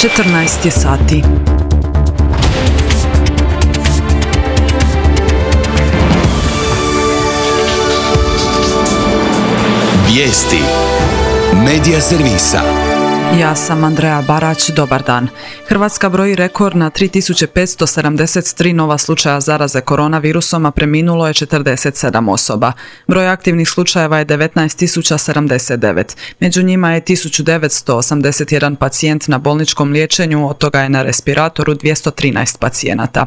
14 je sati. Vijesti Medija servisa. Ja sam Andreja Barać, dobar dan. Hrvatska broji rekord na 3573 nova slučaja zaraze koronavirusom, a preminulo je 47 osoba. Broj aktivnih slučajeva je 19.079. Među njima je 1981 pacijent na bolničkom liječenju, od toga je na respiratoru 213 pacijenata.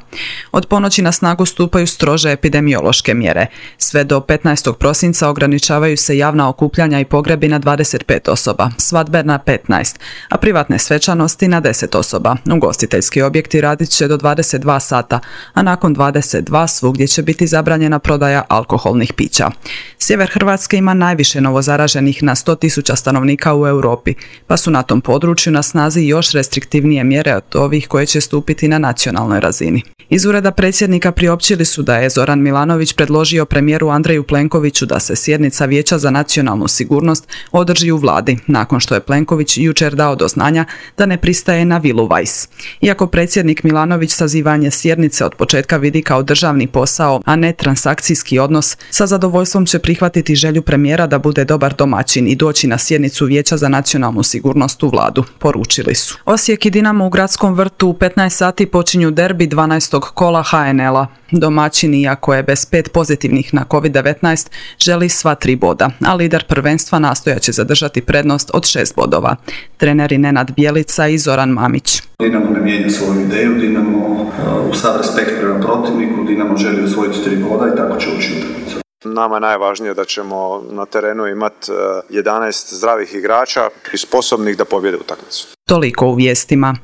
Od ponoći na snagu stupaju strože epidemiološke mjere. Sve do 15. prosinca ograničavaju se javna okupljanja i pogrebi na 25 osoba, svadbe na 15, a privatne svečanosti na 10 osoba. Ugostiteljski objekti radit će do 22 sata, a nakon 22 svugdje će biti zabranjena prodaja alkoholnih pića. Sjever Hrvatske ima najviše novozaraženih na 100.000 stanovnika u Europi, pa su na tom području na snazi još restriktivnije mjere od ovih koje će stupiti na nacionalnoj razini. Iz ureda predsjednika priopćili su da je Zoran Milanović predložio premijeru Andreju Plenkoviću da se sjednica Vijeća za nacionalnu sigurnost održi u vladi, nakon što je Plenković jučer dao do znanja da ne pristaje na vilu Weiss. Iako predsjednik Milanović sazivanje sjednice od početka vidi kao državni posao, a ne transakcijski odnos, sa zadovoljstvom će prihvatiti želju premijera da bude dobar domaćin i doći na sjednicu Vijeća za nacionalnu sigurnost u vladu, poručili su. Osijek i Dinamo u Gradskom vrtu u 15 sati počinju derbi 12. kola HNL-a. Domaćini, iako je bez 5 pozitivnih na COVID-19, želi sva 3 boda, a lider prvenstva nastojat će zadržati prednost od 6 bodova. Treneri Nenad Bjelica i Zoran Mamić. Dinamo ne mijenja svoju ideju, Dinamo uz sav respekt prema protivniku, Dinamo želi osvojiti 3 boda i tako će ući utakmicu. Nama je najvažnije da ćemo na terenu imati 11 zdravih igrača i sposobnih da pobjede utakmicu. Toliko u vijestima.